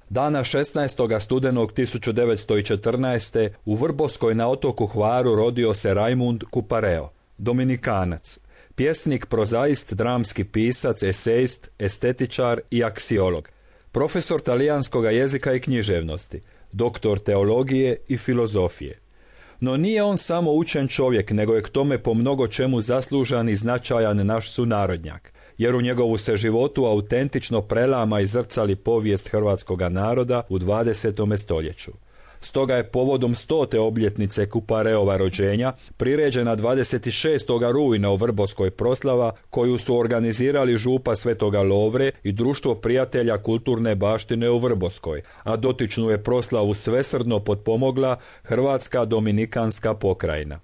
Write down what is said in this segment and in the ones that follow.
Dana 16. studenog 1914. u Vrbovskoj na otoku Hvaru rodio se Rajmund Kupareo, Dominikanac, pjesnik, prozaist, dramski pisac, esejist, estetičar i aksiolog, profesor talijanskoga jezika i književnosti, doktor teologije i filozofije. No nije on samo učen čovjek, nego je k tome po mnogo čemu zaslužan i značajan naš sunarodnjak, jer u njegovu se životu autentično prelama i zrcali povijest hrvatskoga naroda u 20. stoljeću. Stoga je povodom 100. obljetnice Kupareova rođenja priređena 26. rujna u Vrbovskoj proslava koju su organizirali župa Svetoga Lovre i Društvo prijatelja kulturne baštine u Vrbovskoj, a dotičnu je proslavu svesrdno potpomogla Hrvatska dominikanska pokrajina.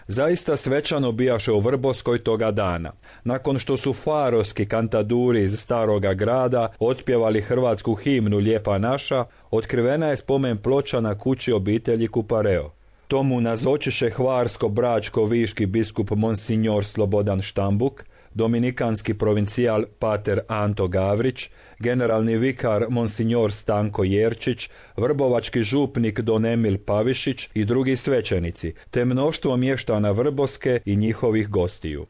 Zaista svečano bijaše u Vrbovskoj toga dana. Nakon što su farovski kantaduri iz Staroga grada otpjevali hrvatsku himnu Lijepa naša, otkrivena je spomen ploča na kući obitelji Kupareo. Tomu nazočiše hvarsko-bračko-viški biskup Monsignor Slobodan Štambuk, dominikanski provincijal pater Anto Gavrić, generalni vikar Monsignor Stanko Jerčić, vrbovački župnik Don Emil Pavišić i drugi svećenici, te mnoštvo mještana Vrbovske i njihovih gostiju.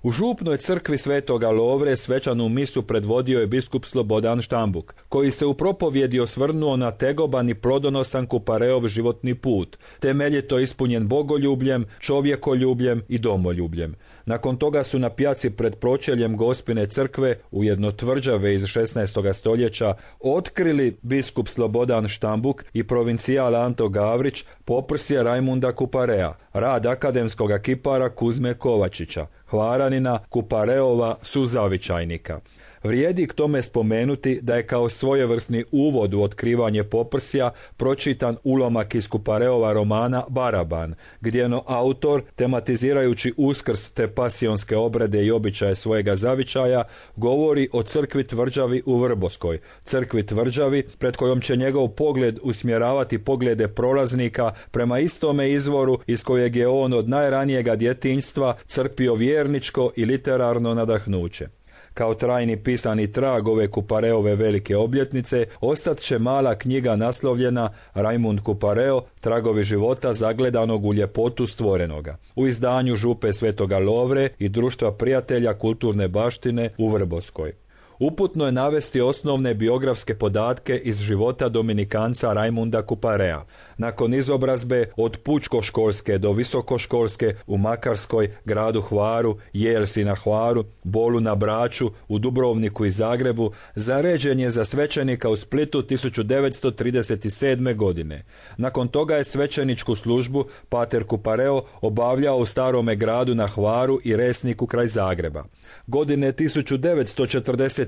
U župnoj crkvi Svetoga Lovre svečanu misu predvodio je biskup Slobodan Štambuk, koji se u propovjedi osvrnuo na tegoban i plodonosan Kupareov životni put, temeljito ispunjen bogoljubljem, čovjekoljubljem i domoljubljem. Nakon toga su na pjaci pred pročeljem Gospine crkve, ujedno tvrđave iz 16. stoljeća, otkrili biskup Slobodan Štambuk i provincijal Anto Gavrić poprsje Rajmunda Kuparea, rad akademskoga kipara Kuzme Kovačića, Hvaranina Kupareova suzavičajnika. Vrijedi k tome spomenuti da je kao svojevrsni uvod u otkrivanje poprsja pročitan ulomak iz Kupareova romana Baraban, gdjeno autor, tematizirajući Uskrs te pasionske obrede i običaje svojega zavičaja, govori o crkvi tvrđavi u Vrbovskoj, crkvi tvrđavi pred kojom će njegov pogled usmjeravati poglede prolaznika prema istome izvoru iz kojeg je on od najranijega djetinjstva crpio vjerničko i literarno nadahnuće. Kao trajni pisani trag ove Kupareove velike obljetnice ostat će mala knjiga naslovljena Rajmund Kupareo, tragovi života zagledanog u ljepotu stvorenoga, u izdanju župe Svetoga Lovre i Društva prijatelja kulturne baštine u Vrbovskoj. Uputno je navesti osnovne biografske podatke iz života dominikanca Rajmunda Kuparea. Nakon izobrazbe od pučkoškolske do visokoškolske u Makarskoj, gradu Hvaru, Jelsi na Hvaru, Bolu na Braču, u Dubrovniku i Zagrebu, zaređen je za svećenika u Splitu 1937. godine. Nakon toga je svećeničku službu pater Kupareo obavljao u Starome gradu na Hvaru i Resniku kraj Zagreba. Godine 1945.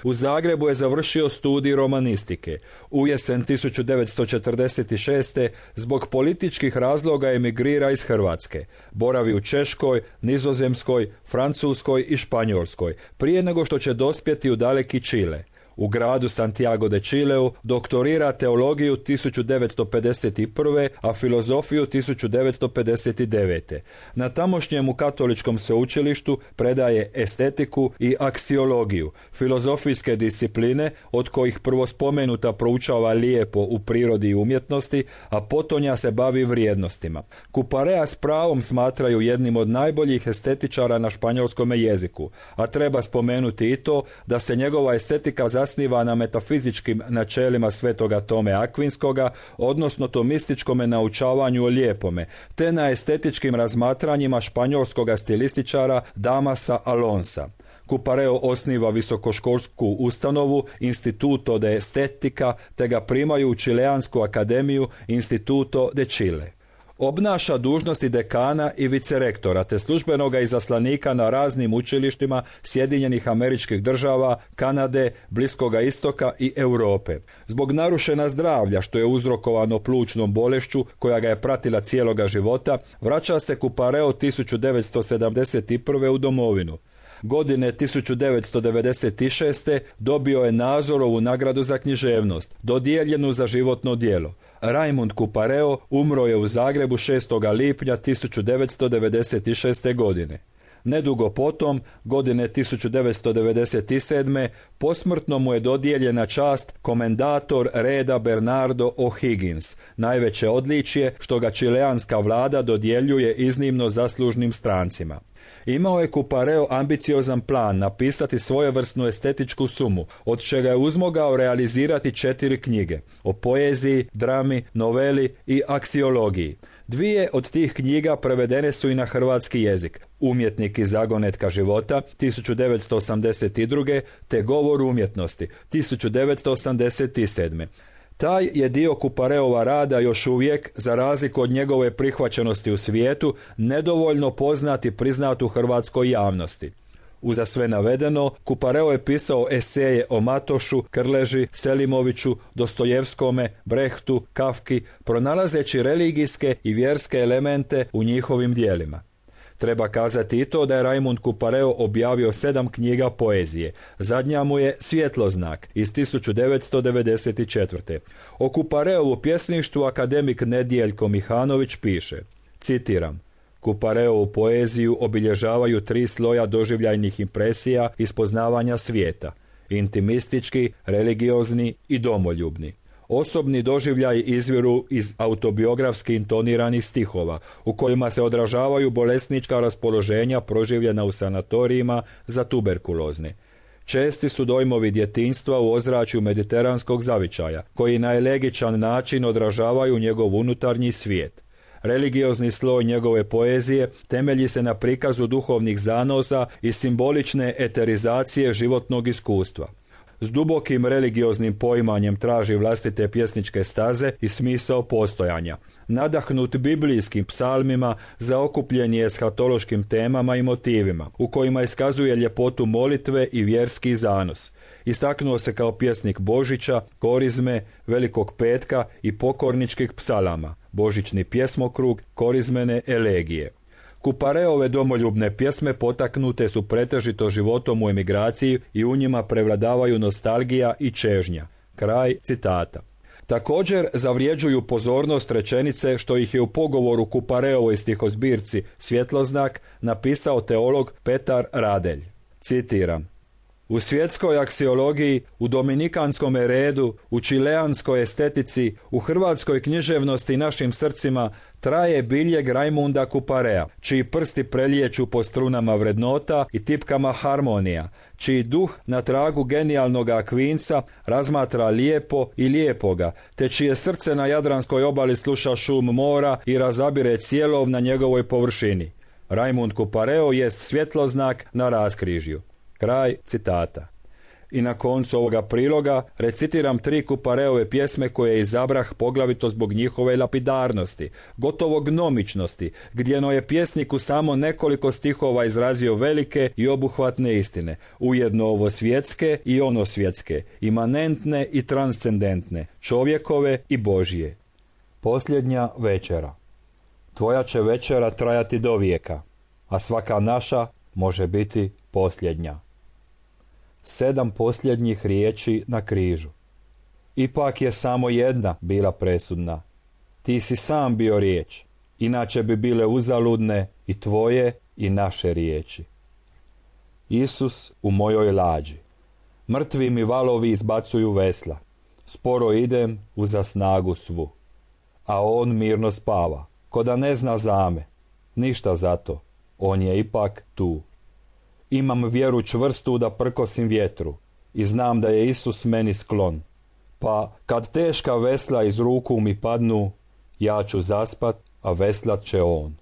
u Zagrebu je završio studij romanistike. U jesen 1946. zbog političkih razloga emigrira iz Hrvatske. Boravi u Češkoj, Nizozemskoj, Francuskoj i Španjolskoj, prije nego što će dospjeti u daleki Čile. U gradu Santiago de Chileu doktorira teologiju 1951. a filozofiju 1959. Na tamošnjemu katoličkom sveučilištu predaje estetiku i aksiologiju, filozofijske discipline od kojih prvo spomenuta proučava lijepo u prirodi i umjetnosti, a potonja se bavi vrijednostima. Kuparea s pravom smatraju jednim od najboljih estetičara na španjolskom jeziku, a treba spomenuti i to da se njegova estetika zasniva na metafizičkim načelima svetoga Tome Akvinskoga, odnosno tomističkome naučavanju o lijepome, te na estetičkim razmatranjima španjolskoga stilističara Damasa Alonsa. Kupareo osniva visokoškolsku ustanovu Instituto de Estetika, te ga primaju u Čileansku akademiju Instituto de Chile. Obnaša dužnosti dekana i vicerektora te službenoga izaslanika na raznim učilištima Sjedinjenih Američkih Država, Kanade, Bliskoga Istoka i Europe. Zbog narušena zdravlja, što je uzrokovano plućnom bolešću koja ga je pratila cijeloga života, vraća se Kupareo 1971. u domovinu. Godine 1996. dobio je Nazorovu nagradu za književnost, dodijeljenu za životno djelo. Rajmund Kupareo umro je u Zagrebu 6. lipnja 1996. godine. Nedugo potom, godine 1997. posmrtno mu je dodijeljena čast komendator reda Bernardo O'Higgins, najveće odličje što ga čileanska vlada dodjeljuje iznimno zaslužnim strancima. Imao je Coupareo ambiciozan plan napisati svojevrsnu estetičku sumu, od čega je uzmogao realizirati 4 knjige o poeziji, drami, noveli i aksiologiji. 2 od tih knjiga prevedene su i na hrvatski jezik: Umjetnik i zagonetka života 1982. te Govor umjetnosti 1987. Taj je dio Coupareova rada još uvijek, za razliku od njegove prihvaćenosti u svijetu, nedovoljno poznat i priznat u hrvatskoj javnosti. Uza sve navedeno, Coupareo je pisao eseje o Matošu, Krleži, Selimoviću, Dostojevskome, Brehtu, Kafki, pronalazeći religijske i vjerske elemente u njihovim djelima. Treba kazati i to da je Raimund Coupareo objavio 7 knjiga poezije. Zadnja mu je Svjetloznak iz 1994. O Coupareovu pjesništvu akademik Nedijeljko Mihanović piše, citiram: Coupareovu poeziju obilježavaju 3 sloja doživljajnih impresija iz poznavanja svijeta: intimistički, religiozni i domoljubni. Osobni doživljaj izviru iz autobiografski intoniranih stihova, u kojima se odražavaju bolesnička raspoloženja proživljena u sanatorijima za tuberkulozne. Česti su dojmovi djetinjstva u ozračju mediteranskog zavičaja, koji na elegičan način odražavaju njegov unutarnji svijet. Religiozni sloj njegove poezije temelji se na prikazu duhovnih zanosa i simbolične eterizacije životnog iskustva. S dubokim religioznim poimanjem traži vlastite pjesničke staze i smisao postojanja. Nadahnut biblijskim psalmima, zaokupljen je eshatološkim temama i motivima, u kojima iskazuje ljepotu molitve i vjerski zanos. Istaknuo se kao pjesnik Božića, Korizme, Velikog petka i pokorničkih psalama, božićni pjesmokrug, korizmene elegije. Coupareove domoljubne pjesme potaknute su pretežito životom u emigraciji i u njima prevladavaju nostalgija i čežnja. Kraj citata. Također zavrijeđuju pozornost rečenice što ih je u pogovoru Coupareovoj stihozbirci Svjetloznak napisao teolog Petar Radelj. Citiram: U svjetskoj aksiologiji, u dominikanskom redu, u čileanskoj estetici, u hrvatskoj književnosti i našim srcima traje biljeg Raimunda Couparea, čiji prsti preliječu po strunama vrednota i tipkama harmonija, čiji duh na tragu genijalnog Akvinca razmatra lijepo i lijepoga, te čije srce na jadranskoj obali sluša šum mora i razabire cijelov na njegovoj površini. Raimund Coupareo jest svjetloznak na raskrižju. Kraj citata. I na koncu ovoga priloga recitiram 3 Coupareove pjesme koje izabrah poglavito zbog njihove lapidarnosti, gotovo gnomičnosti, gdjeno je pjesnik u samo nekoliko stihova izrazio velike i obuhvatne istine, ujedno ovo svjetske i ono svjetske, imanentne i transcendentne, čovjekove i Božije. Posljednja večera. Tvoja će večera trajati do vijeka, a svaka naša može biti posljednja. 7 posljednjih riječi na križu. Ipak je samo jedna bila presudna. Ti si sam bio riječ, inače bi bile uzaludne i tvoje i naše riječi. Isus u mojoj lađi. Mrtvi mi valovi izbacuju vesla. Sporo idem uza snagu svu. A on mirno spava, ko da ne zna zame. Ništa zato, on je ipak tu. Imam vjeru čvrstu da prkosim vjetru i znam da je Isus meni sklon. Pa kad teška vesla iz ruku mi padnu, ja ću zaspat, a veslat će on.